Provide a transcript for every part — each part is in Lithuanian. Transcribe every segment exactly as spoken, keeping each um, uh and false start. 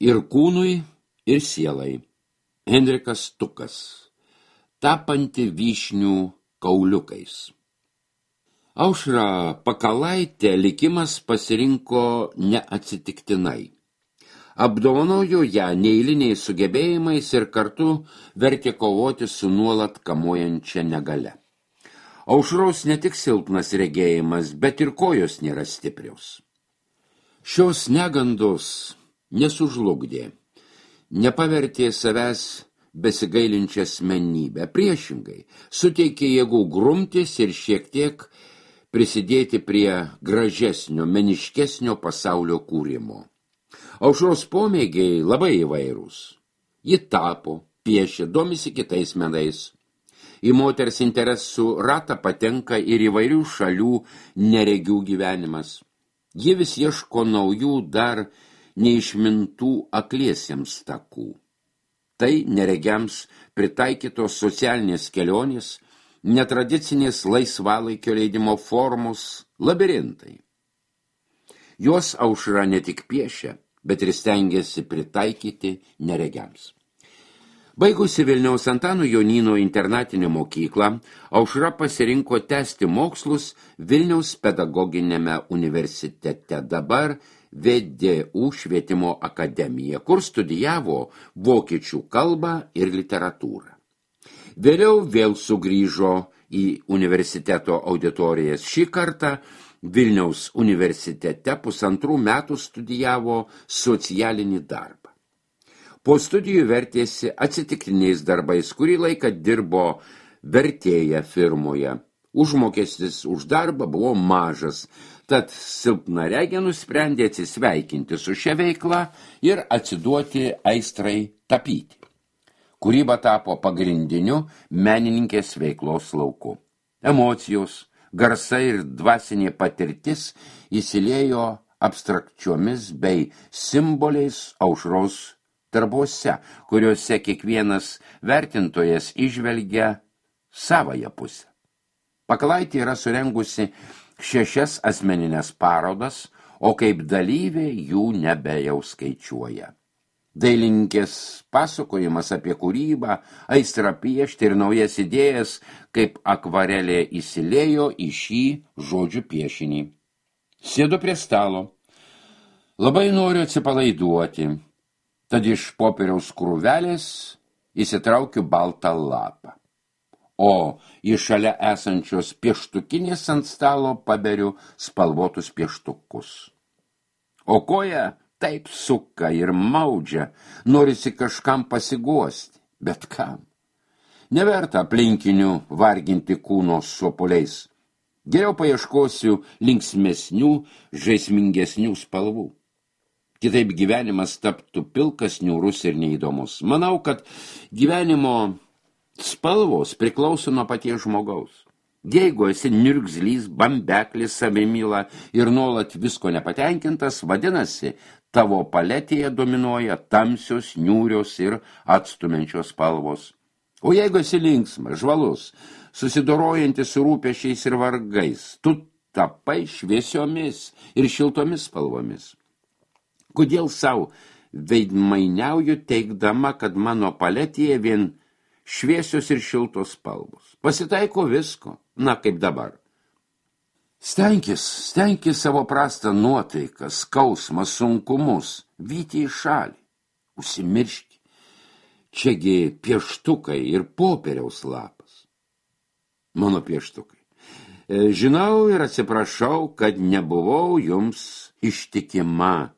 Ir kūnui, ir sielai. Henrikas Tukas. Tapanti vyšnių kauliukais. Aušrą Pakalaitę likimas pasirinko neatsitiktinai. Apdovanojo ją neeiliniais sugebėjimais ir kartu vertė kovoti su nuolat kamuojančia negale. Aušros ne tik silpnas regėjimas, bet ir kojos nėra stiprios. Šios negandos nesužlugdė, nepavertė savęs besigailinčią asmenybę, priešingai, suteikė jėgų grumtis ir šiek tiek prisidėti prie gražesnio, meniškesnio pasaulio kūrimo. Aušros pomėgiai labai įvairūs. Ji tapo, piešė, domisi kitais menais. Į moters interesų ratą patenka ir įvairių šalių neregių gyvenimas. Ji vis ieško naujų dar neišmintų akliesiems takų. Tai neregiams pritaikytos socialinės kelionės, netradicinės laisvalaikio leidimo formos, labirintai. Jos Aušra ne tik piešia, bet ir stengiasi pritaikyti neregiams. Baigusi Vilniaus Antano Jonyno internatinę mokyklą, Aušra pasirinko tęsti mokslus Vilniaus pedagoginėme universitete, dabar V D U švietimo akademija, kur studijavo vokiečių kalbą ir literatūrą. Vėliau vėl sugrįžo į universiteto auditorijas. Šį kartą Vilniaus universitete pusantrų metų studijavo socialinį darbą. Po studijų vertėsi atsitiktiniais darbais, kurį laiką dirbo vertėja firmoje. Užmokestis už darbą buvo mažas, tad silpnaregė nusprendė atsisveikinti su šia veikla ir atsiduoti aistrai tapyti. Kūryba tapo pagrindiniu menininkės veiklos lauku. Emocijos, garsai ir dvasinė patirtis įsiliejo abstrakčiomis bei simboliais Aušros darbuose, kuriuose kiekvienas vertintojas įžvelgia savąją pusę. Pakalaitė yra surengusi šešias asmeninės parodas, o kaip dalyvė jų nebejaus skaičiuoja. Dailininkės pasakojimas apie kūrybą, aistrą piešti ir naujas idėjas, kaip akvarelė įsiliejo į šį žodžių piešinį. Sėdu prie stalo. Labai noriu atsipalaiduoti, tad iš popieriaus krūvelės įsitraukiu baltą lapą. O iš šalia esančios pieštukinės ant stalo paberiu spalvotus pieštukus. O koja taip suka ir maudžia, norisi kažkam pasiguosti, bet kam? Neverta aplinkinių varginti kūno sopuliais. Geriau paieškosiu linksmesnių, žaismingesnių spalvų. Kitaip gyvenimas taptų pilkas, niūrus ir neįdomus. Manau, kad gyvenimo spalvos priklauso nuo paties žmogaus. Jeigu esi niurgzlys, bambeklis, savimyla ir nuolat visko nepatenkintas, vadinasi, tavo paletėje dominuoja tamsios, niūrios ir atstumiančios spalvos. O jeigu esi linksmas, žvalus, susidorojantis su rūpesčiais ir vargais, tu tapai šviesiomis ir šiltomis spalvomis. Kodėl savo veidmainiauju teikdama, kad mano paletėje vien šviesios ir šiltos spalvos? Pasitaiko visko, na kaip dabar. Stenkis, stenkis savo prastą nuotaiką, skausmą, sunkumus, vyti į šalį. Užsimirški. Čiagi pieštukai ir popieriaus lapas. Mano pieštukai. Žinau ir atsiprašau, kad nebuvau jums ištikima.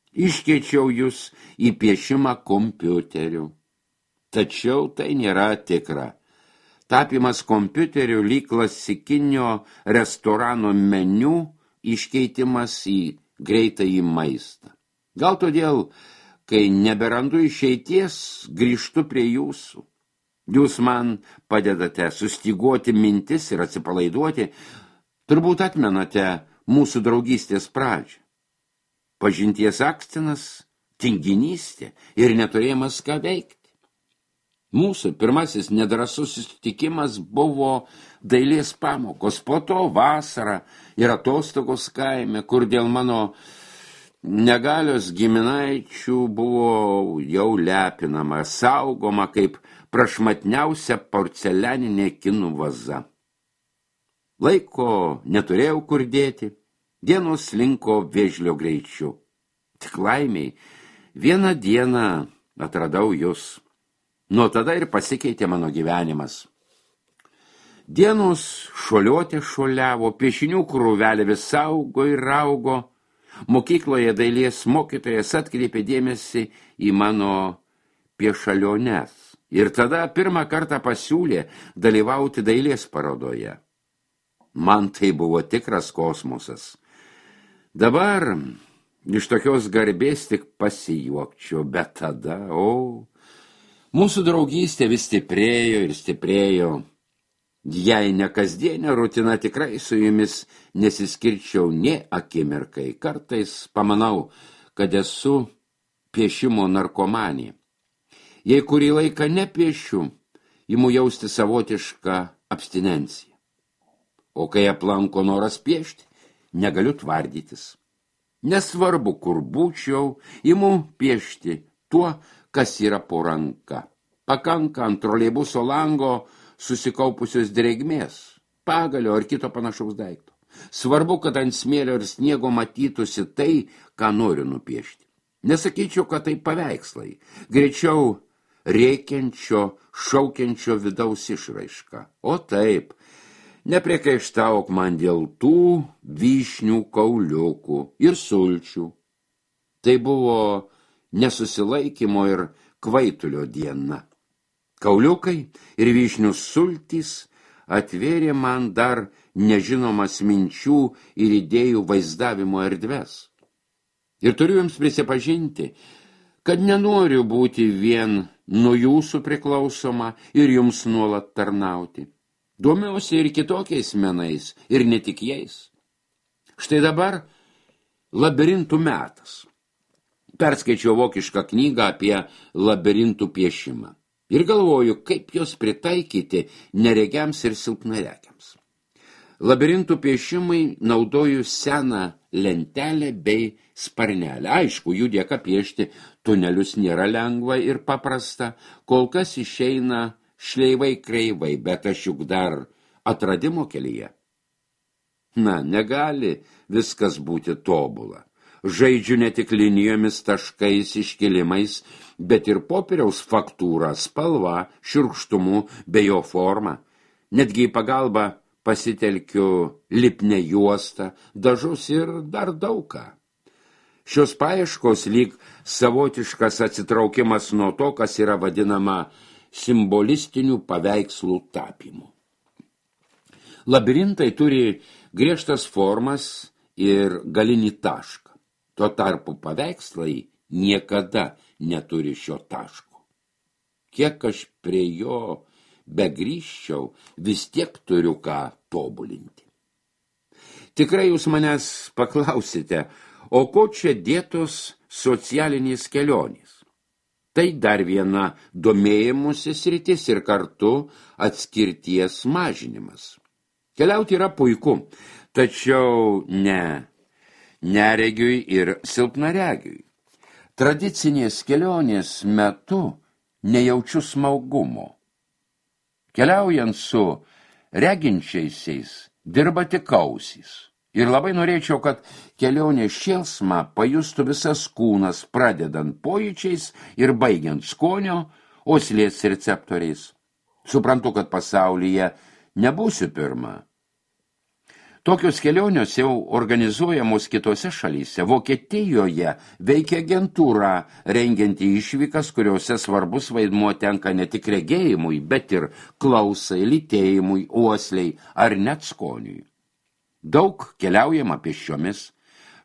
Iškeičiau jūs į piešimą kompiuteriu. Tačiau tai nėra tikra. Tapimas kompiuteriu lyg klasikinio restorano meniu iškeitimas į greitąjį maistą. Gal todėl, kai neberandu išeities, grįžtu prie jūsų. Jūs man padedate sustiguoti mintis ir atsipalaiduoti. Turbūt atmenate mūsų draugystės pradžią. Pažinties akstinas, tinginystė ir neturėjimas ką veikti. Mūsų pirmasis nedrąsus susitikimas buvo dailės pamokos, po to vasara ir atostogos kaime, kur dėl mano negalios giminaičių buvo jau lepinama, saugoma kaip prašmatniausia porcelianinė kinų vaza. Laiko neturėjau kur dėti, dienos slinko vėžlio greičiu. Tik laimiai, vieną dieną atradau jūs. Nuo tada ir pasikeitė mano gyvenimas. Dienos šuoliuoti šuoliavo, piešinių krūvelė vis augo ir augo. Mokykloje dailės mokytojas atkreipė dėmesį į mano piešaliones. Ir tada pirmą kartą pasiūlė dalyvauti dailės parodoje. Man tai buvo tikras kosmosas. Dabar iš tokios garbės tik pasijuokčiau, bet tada, o, mūsų draugystė vis stiprėjo ir stiprėjo. Jei ne kasdienė rutina, tikrai su jumis nesiskirčiau nė akimirkai. Kartais pamanau, kad esu piešimo narkomanė. Jei kurį laiką nepiešiu, imu jausti savotišką abstinenciją. O kai aplanko noras piešti, negaliu tvardytis. Nesvarbu, kur būčiau, imu piešti tuo, kas yra po ranka. Pakanka ant troleibuso lango susikaupusios drėgmės, pagalio ar kito panašaus daikto. Svarbu, kad ant smėlio ir sniego matytųsi tai, ką noriu nupiešti. Nesakyčiau, kad tai paveikslai, greičiau rėkiančio, šaukiančio vidaus išraiška. O taip, nepriekaištauk man dėl tų vyšnių kauliukų ir sulčių. Tai buvo nesusilaikymo ir kvaitulio diena. Kauliukai ir vyšnių sultys atvėrė man dar nežinomas minčių ir idėjų vaizdavimo erdves. Ir turiu jums prisipažinti, kad nenoriu būti vien nuo jūsų priklausoma ir jums nuolat tarnauti. Domiuosi ir kitokiais menais, ir ne tik jais. Štai dabar labirintų metas. Perskaičiau vokišką knygą apie labirintų piešimą. Ir galvoju, kaip jos pritaikyti neregiams ir silpnaregiams. Labirintų piešimai naudoju seną lentelę bei sparnelę. Aišku, jų dėka piešti tunelius nėra lengva ir paprasta, kol kas išeina šleivai kreivai, bet aš juk dar atradimo kelyje. Na, negali viskas būti tobula. Žaidžiu ne tik linijomis, taškais, iškilimais, bet ir popieriaus faktūra, spalva, šiurkštumu bei jo forma. Netgi į pagalbą pasitelkiu lipnę juostą, dažus ir dar daug ką. Šios paieškos lyg savotiškas atsitraukimas nuo to, kas yra vadinama simbolistinių paveikslų tapymu. Labirintai turi griežtas formas ir galinį tašką. Tuo tarpu paveikslai niekada neturi šio taško. Kiek aš prie jo begrįžčiau, vis tiek turiu ką tobulinti. Tikrai jūs manęs paklausite, o ko čia dėtos socialinės kelionės? Tai dar viena domėjimusi sritis ir kartu atskirties mažinimas. Keliauti yra puiku, tačiau ne neregiui ir silpnaregiui. Tradicinės kelionės metu nejaučiu smaugumo. Keliaujant su reginčiaisiais dirba tik ausys. Ir labai norėčiau, kad kelionės šėlsmą pajustų visas kūnas, pradedant pojūčiais ir baigiant skonio, uoslės receptoriais. Suprantu, kad pasaulyje nebūsiu pirma. Tokios kelionės jau organizuojamos kitose šalyse. Vokietijoje veikia agentūra, rengianti išvykas, kuriuose svarbus vaidmuo tenka ne tik regėjimui, bet ir klausai, lytėjimui, uosliai ar net skoniui. Daug keliaujama pėsčiomis.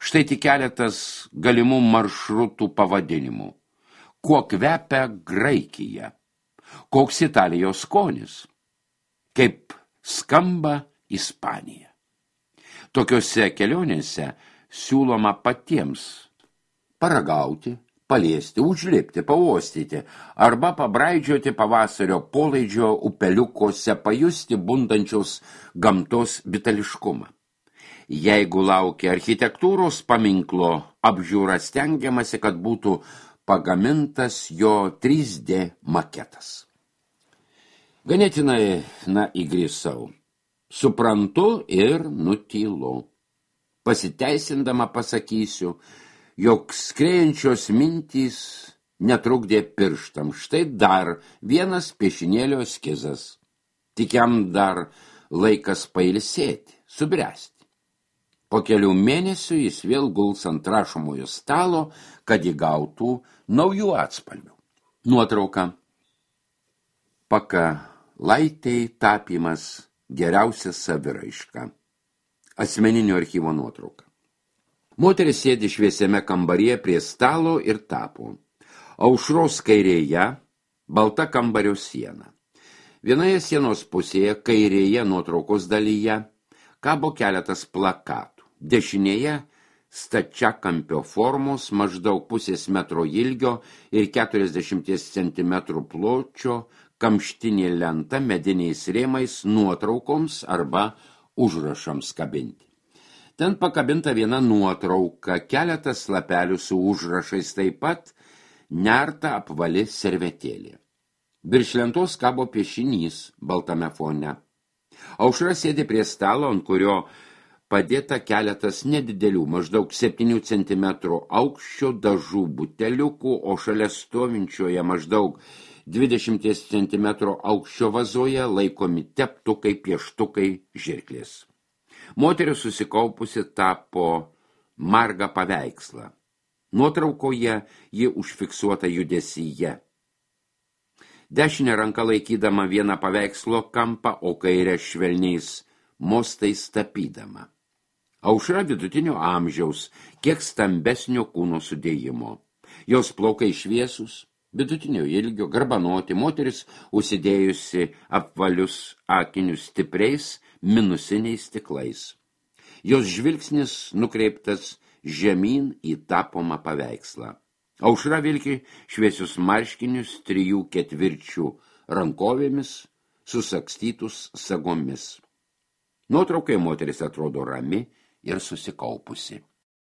Štai tik keletas galimų maršrutų pavadinimų. Kuo kvepia Graikija? Koks Italijos skonis? Kaip skamba Ispanija? Tokiose kelionėse siūloma patiems paragauti, paliesti, užlipti, pauostyti arba pabraidžioti pavasario polaidžio upeliukose, pajusti bundančios gamtos vitališkumą. Jeigu laukia architektūros paminklo apžiūra, stengiamasi, kad būtų pagamintas jo trys D maketas. Ganėtinai, na, įgrisau. Suprantu ir nutylu. Pasiteisindama pasakysiu, jog skrėjančios mintys netrukdė pirštam. Štai dar vienas piešinėlio eskizas. Tik jam dar laikas pailsėti, subręsti. Po kelių mėnesių jis vėl guls ant rašomojo stalo, kad įgautų naujų atspalvių. Nuotrauka. Pakalaitei tapymas geriausia saviraiška. Asmeninio archyvo nuotrauka. Moteris sėdi šviesiame kambaryje prie stalo ir tapo. Aušros kairėje balta kambario siena. Vienoje sienos pusėje, kairėje nuotraukos dalyje, kabo keletas plakatų. Dešinėje stačiakampio formos, maždaug pusės metro ilgio ir keturiasdešimt centimetrų pločio kamštinė lenta mediniais rėmais nuotraukoms arba užrašams kabinti. Ten pakabinta viena nuotrauka, keletas lapelių su užrašais, taip pat nerta apvali servetėlė. Virš lentos kabo piešinys baltame fone. Aušra sėdi prie stalo, ant kurio padėta keletas nedidelių, maždaug septynių centimetrų aukščio dažų buteliukų, o šalia stovinčioje maždaug dvidešimt centimetrų aukščio vazoje laikomi teptukai, pieštukai, žirklės. Moteris susikaupusi tapo margą paveikslą. Nuotraukoje ji užfiksuota judesyje. Dešinė ranka laikydama vieną paveikslo kampą, o kairę švelniais mostais tapydama. Aušra vidutinio amžiaus, kiek stambesnio kūno sudėjimo. Jos plaukai šviesus, vidutinio ilgio, garbanoti, moteris užsidėjusi apvalius akinius stipriais minusiniais stiklais. Jos žvilgsnis nukreiptas žemyn į tapomą paveikslą. Aušra vilki šviesius marškinius trijų ketvirčių rankovėmis, susakstytus sagomis. Nuotraukai moteris atrodo rami ir susikaupusi.